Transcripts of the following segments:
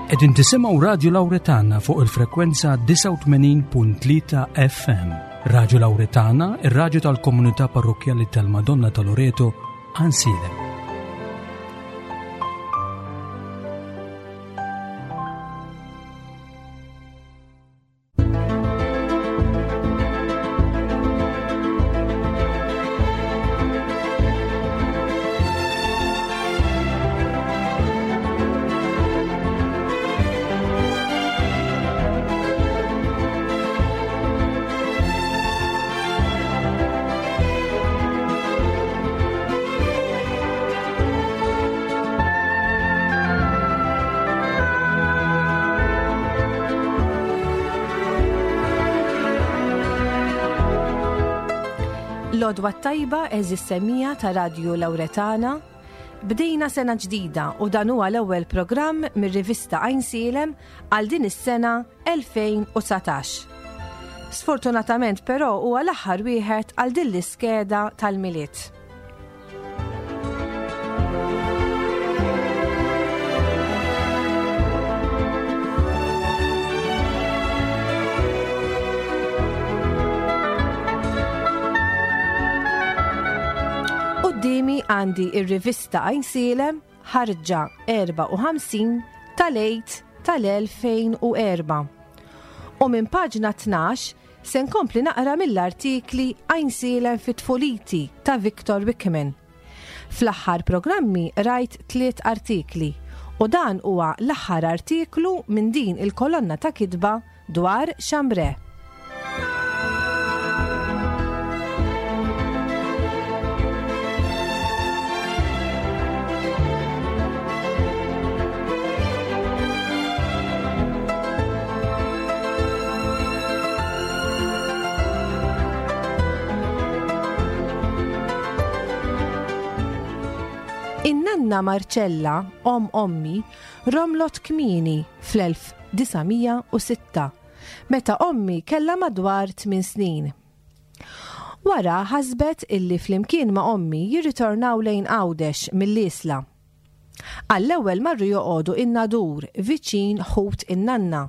Qegħdin tisimgħu Radju Lawretana fuq il-frekwenza 89.3 FM. Radju Lawretana, ir-radju tal-komunità parrokkjali tal-Madonna ta' Loreto, Għansielem. L-odwa tajba eżis semija ta' Radju Lawretana. Bdejna sena ġdida u dan huwa l-ewwel programm mir-rivista Għajnsielem għal din is-sena 2019. Sfortunatament però huwa l-aħħar wieħed għal din l-iskeda tal-Milied. Qudiemi għandi ir-rivista Għajnsielem ħarġa 54 tal-Għid tal-2004. U minn paġna 12 se nkompli naqra mill-artikli Għajnsielem fi tfuliti ta' Victor Wickman. Fl-aħħar programmi qrajt tliet artikli u dan huwa l-aħħar artiklu minn din il-kolonna ta' kitba dwar Chambray. In-nanna Marcella, om ommi, romlot kmieni fl-1906, meta ommi kellha madwar tminn snin. Wara ħasbet illi flimkien ma' ommi jirritornaw lejn Għawdex mill-Isla. Għall-ewwel marru joqogħdu in-Nadur viċin ħut in-nanna.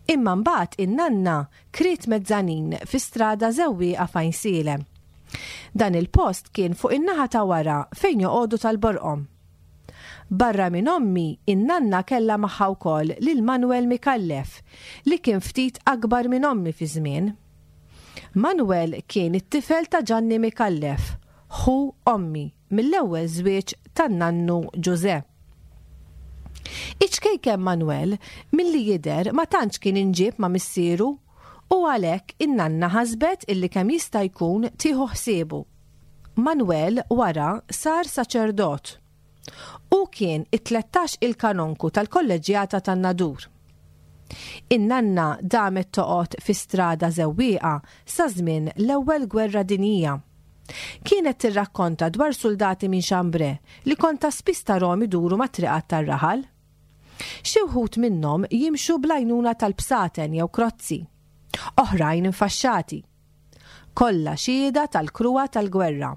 Imma mbagħad in-nanna kriet mezzanin fi strada Żewwieqa f'Għajnsielem. Dan il-post kien fuq in-naħa ta' wara fejn joqogħdu tal-Borqom. Barra minn ommi, in-nanna kellha magħha wkoll lil Manuel Micallef li kien ftit akbar minn ommi fiż-żmien. Manuel kien it-tifel ta' Ġanni Micallef, ħu ommi mill-ewwel żwieġ tan-nannu Ġużè. Iċ-ċkejken Manuel milli jidher ma tantx kien inġieb ma' missieru u għalhekk in-nanna ħasbet illi kemm jista' jkun tieħu ħsiebu. Manuel wara sar saċerdot. Hu kien it-tlettax il-kanonku tal-Kolleġġjata tan-Nadur. In-nanna damet toqgħod fi Strada Żewwieqa sa żmien l-Ewwel Gwerra Dinjija. Kienet tirrakkonta dwar suldati minn Chambray li kont ta' spiss tarahom iduru mat-triqat tar-raħal. Xi wħud minnhom jimxu bl-għajnuna tal-bsaten jew krozzi. Oħrajn infaxxati. Kollha xhieda tal-kruha tal-gwerra.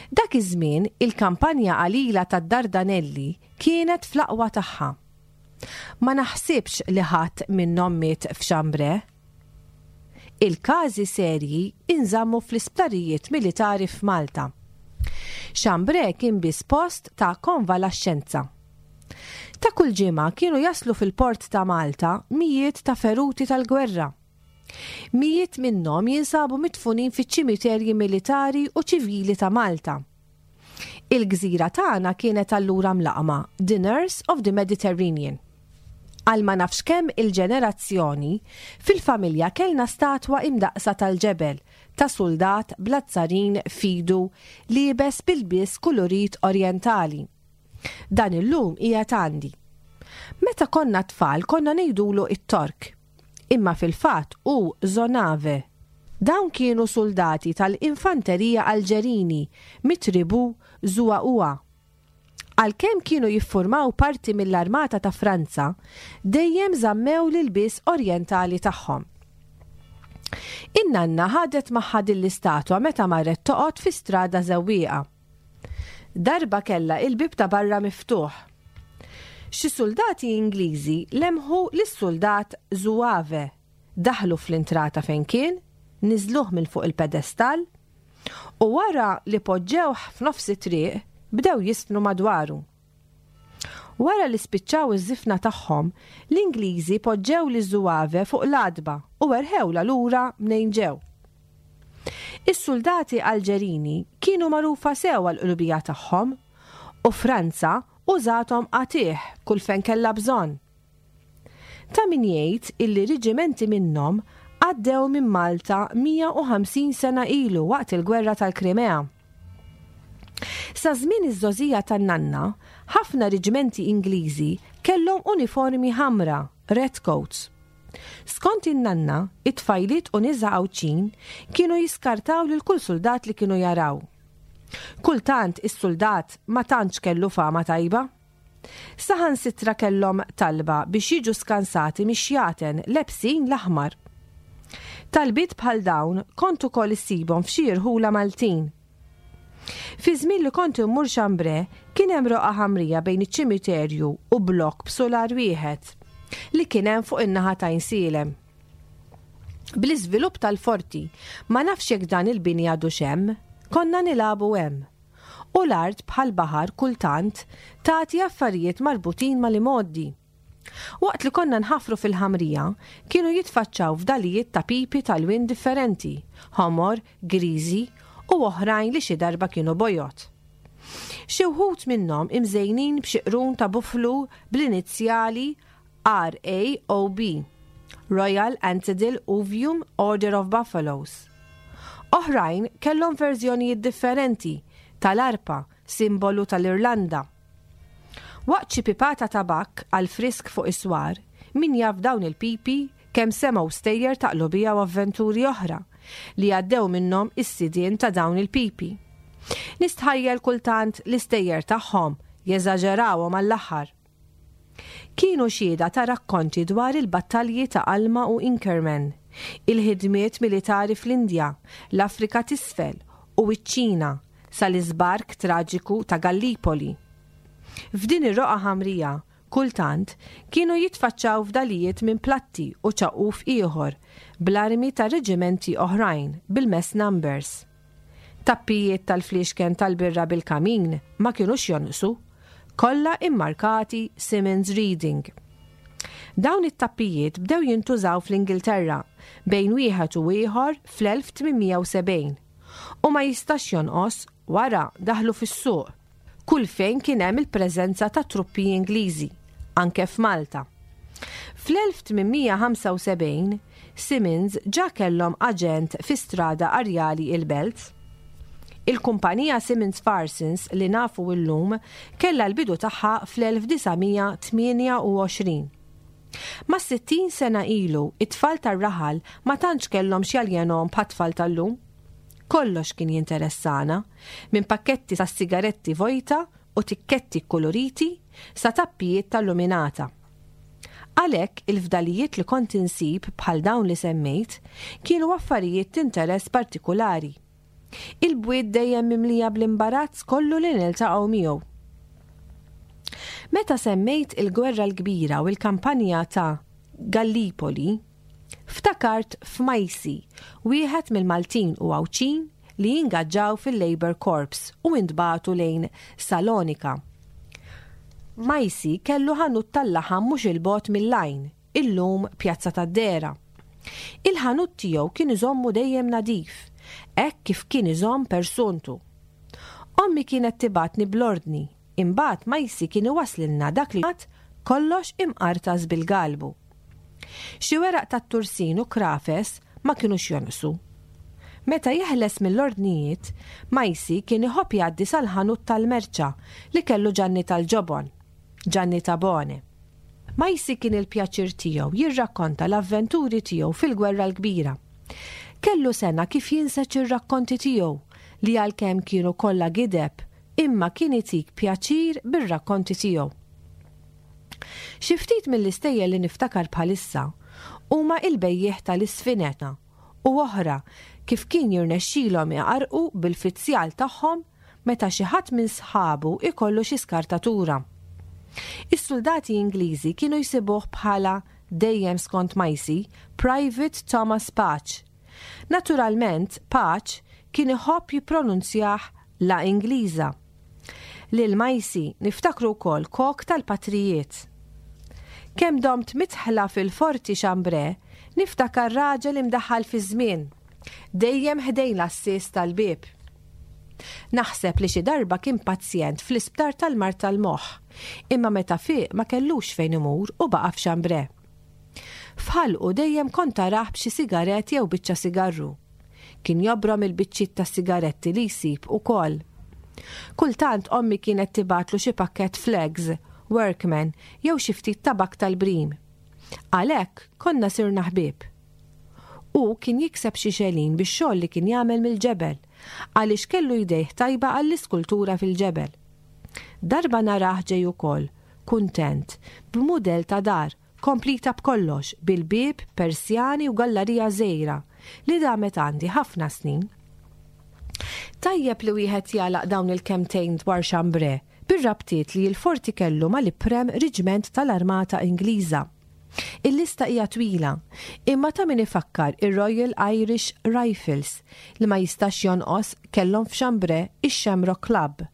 Dak iż-żmien il-kampanja qalila tad-Dardanelli kienet fl-aqwa tagħha. Ma naħsibx li ħadd minnhom miet f'Chambray. Il-każi serji inżammu fl-isptarijiet militari f'Malta. Chambray kien biss post ta' konvalaxxenza. Ta' kull ġimgħa kienu jaslu fil-port ta' Malta mijiet ta' feruti tal-gwerra. Mijiet minnhom jinsabu midfunin fiċ-ċimiterji militari u ċivili ta' Malta. Il-gżira tagħna kienet allura mlaqqma The Nurse of the Mediterranean. Għal ma nafx kemm il-ġenerazzjoni, fil-familja kellna statwa imdaqqsa tal-ġebel ta' suldat bl-azzarin f'idu liebes b'ilbies kulurit orjentali. Dan illum qiegħed għandi. Meta konna tfal konna ngħidulu t-Tork. Imma fil-fatt hu Zonave. Dawn kienu suldati tal-infanterija Alġerini mit-tribù Zouaoua. Għalkemm kienu jiffurmaw parti mill-armata ta' Franza, dejjem żammew l-ilbies orjentali tagħhom. In-nanna ħadet magħha din l-istatwa meta marret toqgħod fi Strada Żewwieqa. Darba kellha il-bieb ta' barra miftuħ. Xi suldati Ingliżi lemħu lis-suldat Zouave, daħlu fl-intrata fejn kien, niżluh minn fuq il-pedestall u wara li poġġewh f'nofs it-triq bdew jiżfnu madwaru. Wara li spiċċaw iż-żifna tagħhom, l-Ingliżi poġġew liż-Zouave fuq l-għatba u erħewlha lura mnejn ġew. Is-suldati Alġerini kienu magħrufa sew għall-qlubija tagħhom u Franza użathom qatigħ kull fejn kellha bżonn. Ta' min jgħid illi riġimenti minnhom għaddew minn Malta 150 sena ilu waqt il-Gwerra tal-Krimea. Sa żmien iż-żgħożija tan-nanna, ħafna riġmenti Ingliżi kellhom uniformi ħamra, red coats. Skont in-nanna, it-tfajliet u nisa Għawdxin kienu jiskartaw lil kull suldat li kienu jaraw. Kultant is-suldat ma tantx kellu fama tajba. Saħansitra kellhom talba biex jiġu skansati mix-xjaten lebsin l-aħmar. Talbiet bħal dawn kont ukoll issibhom f'xi irħula Maltin. Fi żmien li kont immur Chambray kien hemm roqgħa ħamrija bejn iċ-ċimiterju u blokk b'sular wieħed li kien hemm fuq in-naħa ta' Għajnsielem. Bl-iżvilupp tal-forti, ma nafx jekk dan il-bini għadux hemm, konna nilagħbu hemm. U l-art bħal baħar kultant tagħti affarijiet marbutin mal-imgħoddi. Waqt li konna nħaffru fil-ħamrija, kienu jitfaċċaw fdalijiet ta' pipi ta' lwien differenti, ħomor, griżi u oħrajn li xi darba kienu bojod. Xi wħud minnhom imżejnin b'xi qrun ta' buflu bl-inizjali RAOB, Royal Antediluvium Order of Buffaloes. Oħrajn kellhom verżjonijiet differenti tal-arpa, simbolu tal-Irlanda. Waqt xi pipata tabakk għal frisk fuq is-swar, min jaf dawn il-pipi kemm semgħu stejjer ta' qlubija u avventuri oħra li għaddew minnhom is-sidien ta' dawn il-pipi. Nistħajjel kultant l-istejjer tagħhom jeżaġerawhom għall-aħħar. Kienu xhieda ta' rakkonti dwar il-battalji ta' Alma u Inkerman, il-ħidmiet militari fl-Indja, l-Afrika t'Isfel u ċ-Ċina sal-iżbark traġiku ta' Gallipoli. F'din ir-roqgħa ħamrija, kultant, kienu jitfaċċaw fdalijiet minn platti u ċaqquf ieħor bl-armi ta' reġimenti oħrajn bil-mess numbers. Tappijiet tal-fliexken tal-birra bil-kamin ma kinux jonqsu, kollha immarkati Simmons Reading. Dawn it-tappijiet bdew jintużaw fl-Ingilterra bejn wieħed u ieħor fl-1870 u ma jistax jonqos wara daħlu fis-suq kull fejn kien hemm il-preżenza ta' truppi Ingliżi, anke f'Malta. Fl-1875, Simmons ġa kellhom aġent fi Strada Arjali il-Belt. Il-kumpanija Simmons Farsons li nafu llum kellha l-bidu tagħha fl-1928. Mas-60 sena ilu, it-tfal tar-raħal ma tantx kellhom x'jaljenhom bħat-tfal tal-lum. Kollox kien jinteressana, minn pakketti tas-sigaretti vojta u tikketti kkuluriti sa tappijiet tal-luminata. Għalhekk il-fdalijiet li kont insib bħal dawn li semmejt kienu affarijiet t'interess partikulari. Il-bwiet dejjem mimlija bl-imbarazz kollu li niltaqgħu miegħu. Meta semmejt il-Gwerra l-Kbira u l-kampanja ta' Gallipoli, Ftakart f'Majsi, wieħed mill-Maltin u Għawdxin li ingaġġaw fil-Labour Corps u intbagħtu lejn Salonika. Majsi kellu ħanut tal-laħam mhux 'il bogħod mill-Għajn, illum Pjazza tad-Dehra. Il-ħanut tiegħu kien iżommu dejjem nadif, hekk kif kien iżomm persuntu. Ommi kienet tibgħatni bl-ordni Imbagħad Majsi kien iwasslilna dak li jgħad kollox imqartas bil-galbu. Xi weraq tat-tursin u krafes ma kinux jonqsu. Meta jeħles mill-ordnijiet, Majsi kien iħobb jgħaddi sal-ħanut tal-merċa li kellu Ġanni tal-ġobon, Ġanni Tabone. Majsi kien il-pjaċir tiegħu jirrakkonta l-avventuri tiegħu fil-Gwerra l-Kbira. Kellu sena kif jinseġ ir-rakkonti tiegħu li għalkemm kienu kollha gideb, imma kien itik pjaċir bir-rakkonti tiegħu. Xi ftit mill-istejjer li niftakar bħalissa huma il-bejjiegħ tal-isfineta u oħra kif kien jirnexxilhom iqarrqu bil-fizzjal tagħhom meta xi ħadd minn sħabu jkollu xi skartatura. Is-suldati Ingliżi kienu jsibuh bħala, dejjem skont Majsi, Private Thomas Patch. Naturalment, Patch kien iħobb jippronunzjah la Ingliża. Lil Majsi niftakru wkoll kok tal-patrijiet. Kemm domt midħla fil-Forti Chambray niftakar raġel imdaħħal fiż-żmien, dejjem ħdejn l-għassies tal-bieb. Naħseb li xi darba kien pazjent fl-isptar tal-mard tal-moħħ, imma meta fieq ma kellux fejn imur u baqa' f'Chambray. F'ħalqu dejjem kont tarah b'xi sigarett jew biċċa sigarru. Kien jobrom il-biċċiet tas-sigaretti li jsib ukoll. Kultant ommi kienet tibgħatlu xi pakkett Flags, Workman jew xi ftit tabakk tal-brim. Għalhekk konna sirna ħbieb. Hu kien jikseb xi xelin bix-xogħol li kien jagħmel mill-ġebel, għaliex kellu jdejh tajba għall-iskultura fil-ġebel. Darba narah ġej ukoll, kuntent, b'mudell ta' dar, komplita b'kollox, bil-bieb, persjani u gallarija żgħira, li damet għandi ħafna snin. Tajjeb li wieħed jagħlaq dawn il-kelmtejn dwar Chambray bir-rabtiet li l-forti kellu mal-iprem riġment tal-Armata Ingliża. Il-lista hija twila, imma ta' min ifakkar ir-Royal Irish Rifles li ma jistax jonqos kellhom f'Chambray ix-Shamrock Club,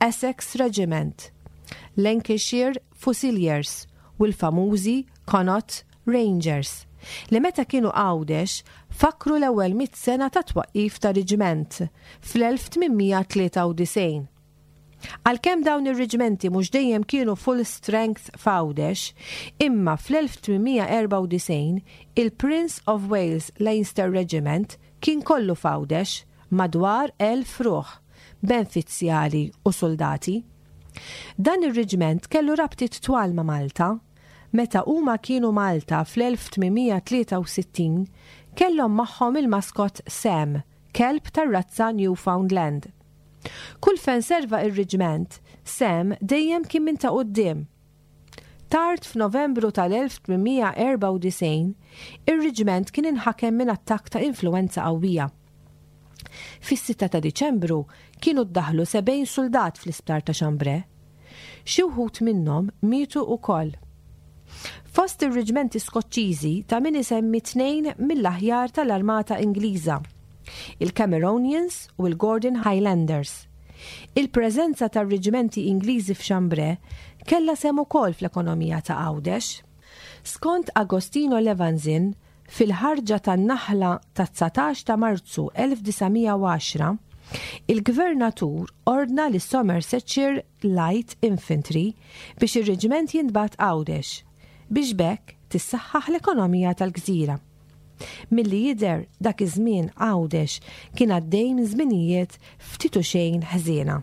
Essex Regiment, Lancashire Fusiliers u l-famużi Connaught Rangers li meta kienu Għawdex fakkru l-ewwel mitt sena tat-twaqqif ta' riġment fl-1893. Għalkemm dawn ir-riġmenti mhux dejjem kienu full strength f'Għawdex, imma fl-1894 il-Prince of Wales Leinster Regiment kien kollu f'Għawdex, madwar 1,000 ruħ, benfizzjali u suldati. Dan ir-riġment kellu rabtiet twal ma' Malta. Meta huma kienu Malta fl-1863 kellhom magħhom il-maskot Sam, kelb tar-razza Newfoundland. Kull fejn serva ir-riġment, Sam dejjem kien minn ta' quddiem. Tard f'Novembru tal-1894, ir-riġment kien inħakem minn attakk ta' influwenza qawwija. Fis-sitta ta' Diċembru kienu ddaħħlu 70 suldat fl-isptar ta' Chambray. Xi wħud minnhom mietu wkoll. Fost ir-riġmenti Skoċċiżi ta' min isemmi tnejn mill-aħjar tal-armata Ingliża, il-Cameronians u l-Gordon Highlanders. Il-preżenza tar-riġmenti Ingliżi f'Chambray kellha sehem ukoll fl-ekonomija ta' Għawdex. Skont Agostino Levanzin, Fil-ħarġa tan-Naħla tat-19 ta' Marzu 1910, il-Gvernatur ordna lis-Somersetshire Light Infantry biex ir-riġment jintbagħat Għawdex, biex b'hekk tissaħħaħ l-ekonomija tal-gżira. Milli jidher, dak iż-żmien Għawdex kien għaddej minn żminijiet ftit u xejn ħżiena.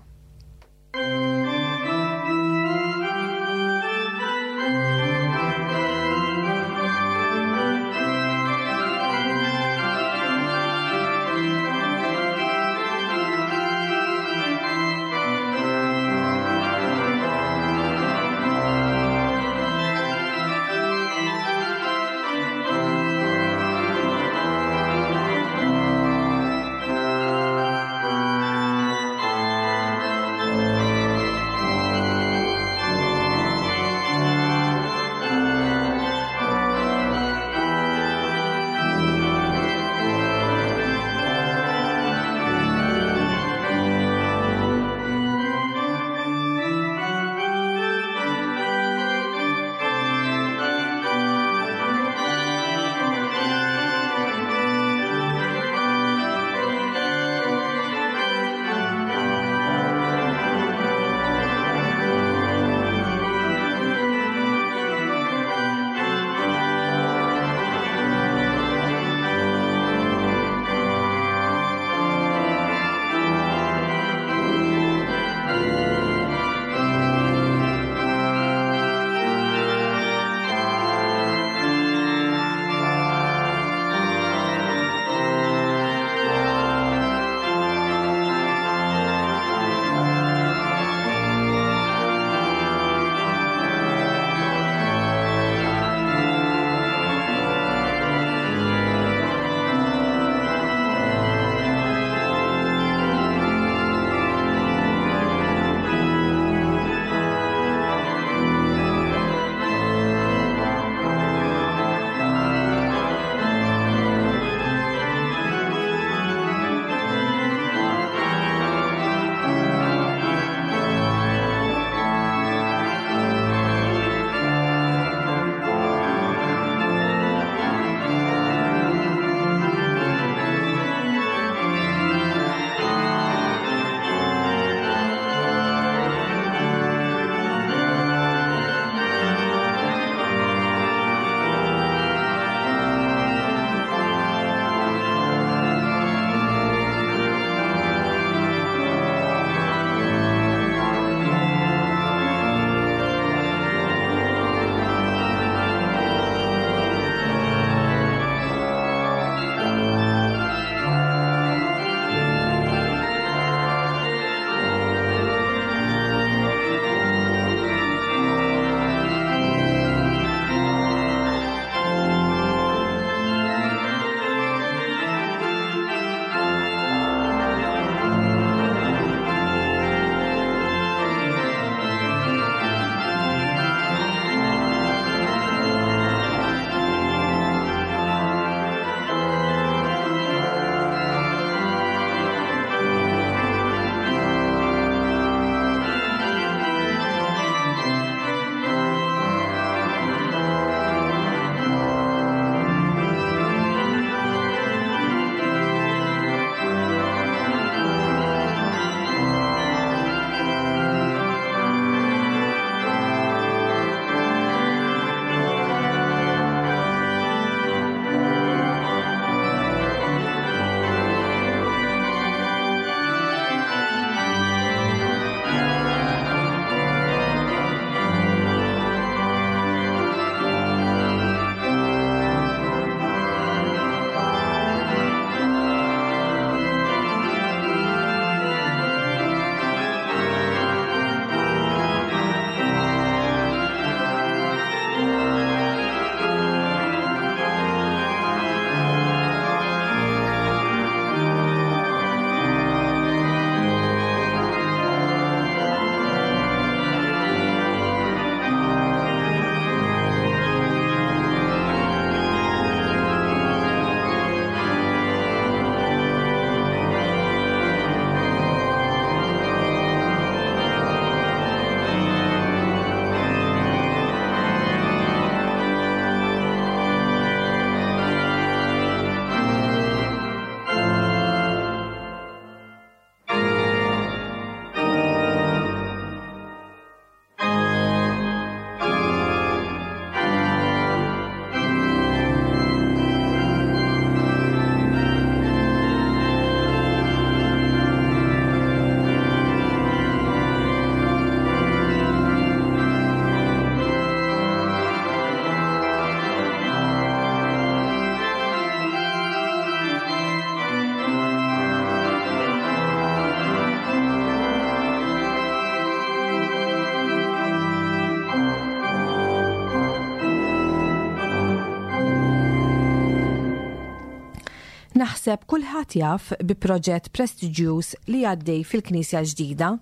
Naħseb kulħadd jaf bi proġett prestiġjuż li għaddej fil-Knisja l-ġdida,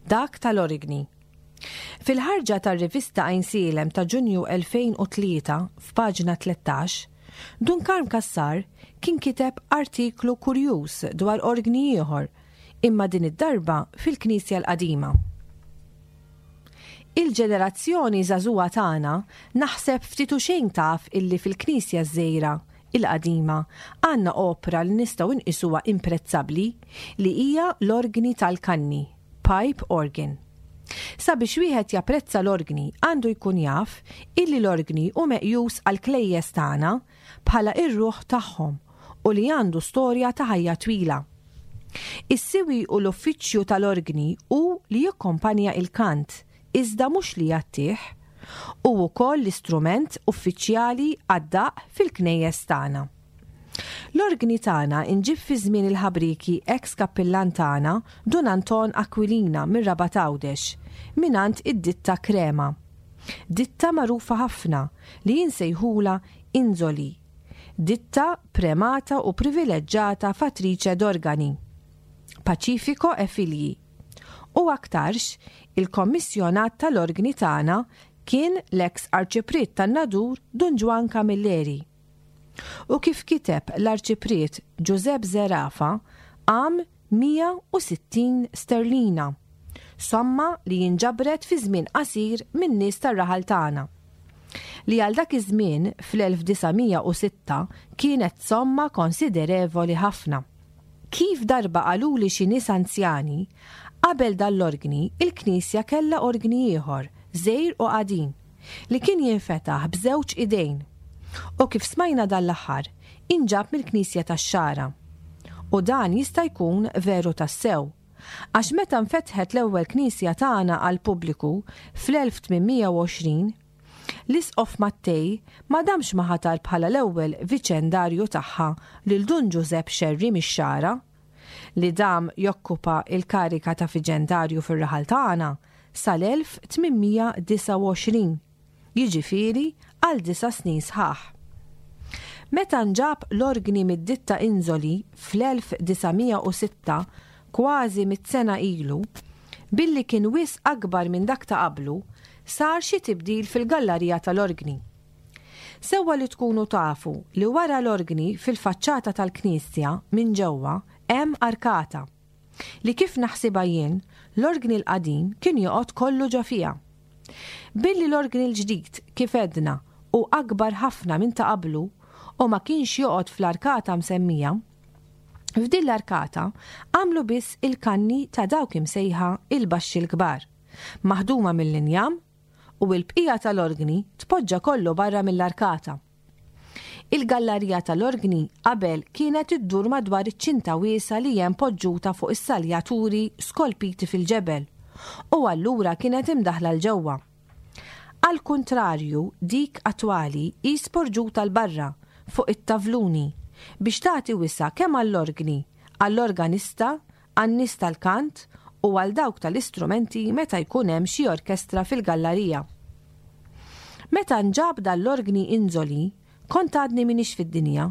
dak tal-Origni. Fil-ħarġa tar-rivista Għajnsielem ta' Ġunju 2003 f'paġna 13, Dun Karm Cassar kien kiteb artiklu kurjuż dwar orgni ieħor, imma din id-darba fil-Knisja l-Qadima. Il-ġenerazzjoni żagħżugħa tagħna naħseb ftit u xejn taf illi fil-Knisja ż-żgħira, il-qadima, għandna opra li nistgħu nqisuha imprezzabbli li hija l-orgni tal-kanni, pipe organ. Sabiex wieħed japprezza l-orgni għandu jkun jaf illi l-orgni hu meqjus għall-klejjes tagħna bħala r-ruħ tagħhom u li għandu storja ta' ħajja twila. Is-siwi u l-uffiċċju tal-orgni hu li jikkompanja il-kant, iżda mhux li jgħattih. Hu wkoll l-istrument uffiċjali għad-daqq fil-knejjes tagħna. L-orgni tagħna nġib fi żmien il-ħabrieki eks kappillan tagħna Dun Anton Aquilina mir-Rabat Għawdex, mingħand id-ditta Crema. Ditta magħrufa ħafna li insejħulha Inzoli. Ditta premata u privileġġata fattrice d'organi. Pacifico e Figli. U aktarx, il-kommissjonat tal-orgni tagħna kien l-eks Arċipriet tan-Nadur Dun Ġwann Camilleri. U kif kiteb l-Arċipriet Ġużepp Zerafa, qam 160 sterlina, somma li inġabret fi żmien qasir min-nies tar-raħal tagħna. Li għal dak iż-żmien fl-1906 kienet somma konsiderevoli ħafna. Kif darba qaluli xi nies anzjani, qabel dan l-orgni il-knisja kellha orgni ieħor, żgħir u qadim, li kien jinfetaħ b'żewġ idejn. U kif smajna dan l-aħħar, inġab mill-knisja tax-Xagħra. U dan jista' jkun veru tassew, għax meta nfetħet l-ewwel knisja tagħna għall-pubbliku fl-1820, l-Isqof Mattei ma damx ma ħatar bħala l-ewwel viċendarju tagħha lil Dun Ġużepp Xerri mix-Xagħra, li dam jokkupa l-karika ta' viċendarju fir-raħal tagħna sal-1829, jiġifieri għal disa' snin sħaħ. Meta nġab l-orgni mid-ditta Inzoli fl-1906, kważi mitt sena ilu, billi kien wisq akbar minn dak ta' qablu, sar xi tibdil fil-gallarija tal-orgni. Sewwa li tkunu tafu li wara l-orgni fil-faċċata tal-knisja minn ġewwa hemm arkata, li kif naħsibha jien, l-orgni l-qadim kien joqgħod kollu ġo fiha. Billi l-orgni l-ġdid, kif għedna, hu akbar ħafna minn ta' qablu u ma kienx joqgħod fl-arkata msemmija, f'din l-arkata għamlu biss il-kanni ta' dawk imsejħa il-baxxi l-kbar, maħduma mill-injam u l-bqija tal-orgni tpoġġa kollu barra mill-arkata. Il-gallarija tal-orgni qabel kienet iddur madwar iċ-ċinta wiesgħa li hemm poġġuta fuq is-saljaturi skolpiti fil-ġebel u allura kienet imdaħħla 'l ġewwa. Għall-kuntrarju dik attwali hi sporġuta 'l barra fuq it-tavluni biex tagħti wisa' kemm għall-orgni, għall-organista, għan-nies tal-kant u għal dawk tal-istrumenti meta jkun hemm xi orkestra fil-gallarija. Meta nġab dan l-orgni Inzoli, kont għadni m'iniex fid-dinja.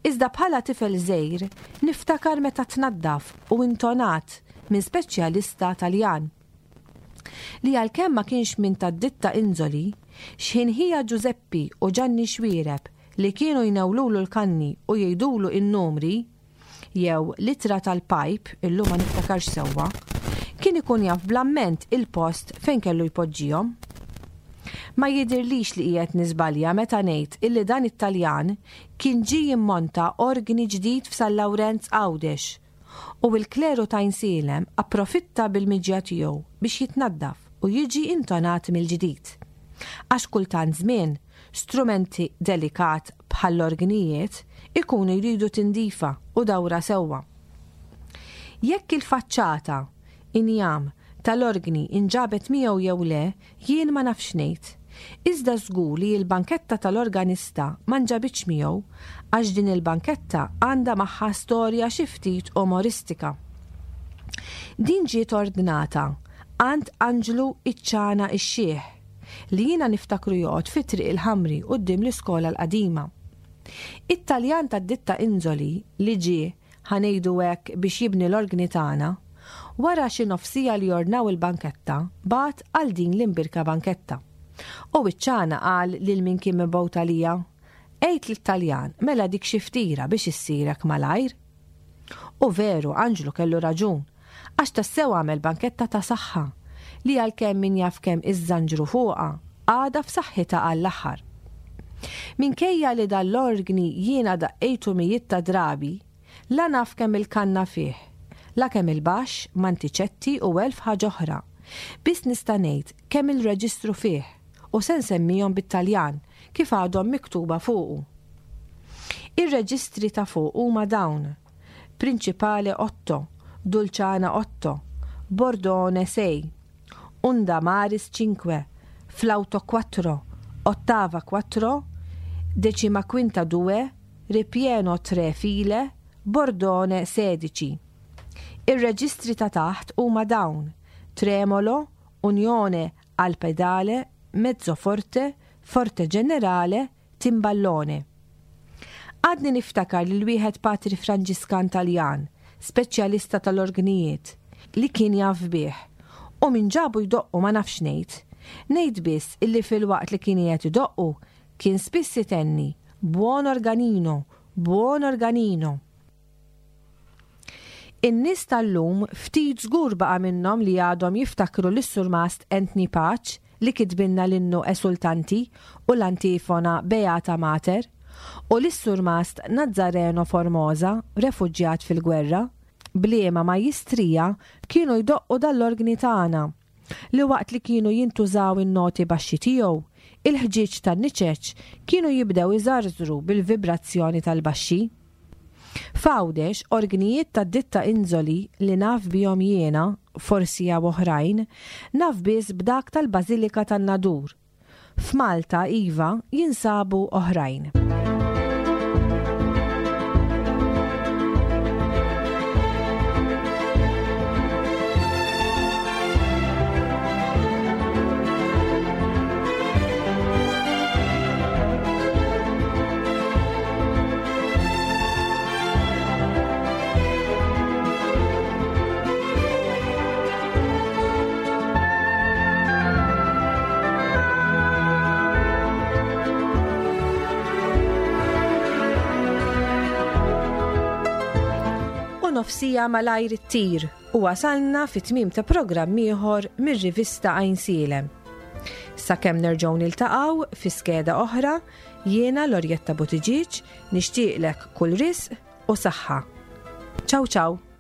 Iżda bħala tifel żgħir niftakar meta tnaddaf u intonat minn speċjalista Taljan. Li għalkemm ma kienx minn tad-ditta Inzoli, x'ħin ħija Ġużeppi u Ġanni Xuereb li kienu jnewlulu l-kanni u jgħidulu n-numri, jew l-ittra tal-pajp, illum ma niftakarx sewwa, kien ikun jaf bl-amment il-post fejn kellu jpoġġihom. Ma jidhirlix li qiegħed niżbalja meta ngħid illi dan it-Taljan kien ġie jimmonta orgni ġdid f'San Lawrenz Għawdex u l-kleru t'Għajnsielem approfitta bil-miġja tiegħu biex jitnaddaf u jiġi intonat mill-ġdid. Għax kultant żmien Strumenti delikat bħall-orgnijiet ikunu jridu tindifa u dawra sewwa. Jekk il-faċċata, injam, tal-orgni inġabet miegħu jew le, jien ma nafx ngħid. Iżda żgur li l-banketta tal-organista ma nġabitx miegħu għax din il-banketta għandha magħha storja xi ftit umoristika. Din ġiet ordnata għand Anġlu iċ-Ċana ix-Xiħ. li jiena niftakru joqgħod fi Triq il-Ħamri quddiem l-iskola l-qadima. It-Taljan tad-ditta Inzoli li ġie, ħa ngħidu hekk, biex jibni l-orgni tagħna, wara xi nofs siegħa li ordnaw il-banketta, bagħat għal din l-imbierka banketta. U wiċċana qal lil min kien mibgħut għalija, Għid lit-Taljan, mela dik xi ftira biex issir hekk malajr. U veru, Anġlu kellu raġun, għax tassew għamel banketta ta' saħħa, li għalkemm min jaf kemm iżżanġru fuqha, għadha f'saħħitha għall-aħħar. Minkejja li dan l-orgni jiena daqqejtu mijiet ta' drabi, la naf kemm il-kanna fih, la kemm il-baxx, mantiċetti u elf ħaġa oħra. Biss nista' ngħid kemm il-reġistru fih u se nsemmihom bit-Taljan kif għadhom miktuba fuqu. Ir-reġistri ta' fuq huma dawn, Principale otto, Dulciana otto, Bordone sei, Unda Maris cinque, Flauto quattro, Ottava quattro, Decima quinta due, Ripieno tre file, Bordone sedici. Ir-reġistri ta' taħt huma dawn, Tremolo, Unione al pedale, Mezzo forte, Forte generale, Timballone. Għadni niftakar lil wieħed patri Franġiskan Taljan, speċjalista tal-orgnijiet, li kien jaf bih. U min ġabu jdoqqu ma nafx ngħid. Ngħid biss illi filwaqt li kien qiegħed idoqqu, kien spiss itenni, Buon organino, buon organino. In-nies tal-lum ftit żgur baqa' minnhom li għadhom jiftakru lis-Surmast Anthony Pace li kitbilna l-innu Esultanti u l-antifona Beata Mater u lis-Surmast Nazzareno Formosa refuġjat fil-gwerra, b'liema majjistrija kienu jdoqqu dal-orgni tagħna. li waqt li kienu jintużaw in-noti baxxi tiegħu, il-ħġieġ tan-niċeċ kienu jibdew iżarżru bil-vibrazzjoni tal-baxxi. F'Għawdex, orgnijiet tad-ditta Inzoli li naf bihom jiena, forsi hawn oħrajn, naf biss b'dak tal-Bażilika tan-Nadur, F'Malta, iva, jinsabu oħrajn. U nofsija malajr ittir u wasalna fi tmiem ta' programm ieħor mir-rivista Għajnsielem. Sakemm nerġgħu niltaqgħu fi skeda oħra, jiena Lorjetta Buttigieg nixtieqlek kull risq u saħħa. Ciao ciao!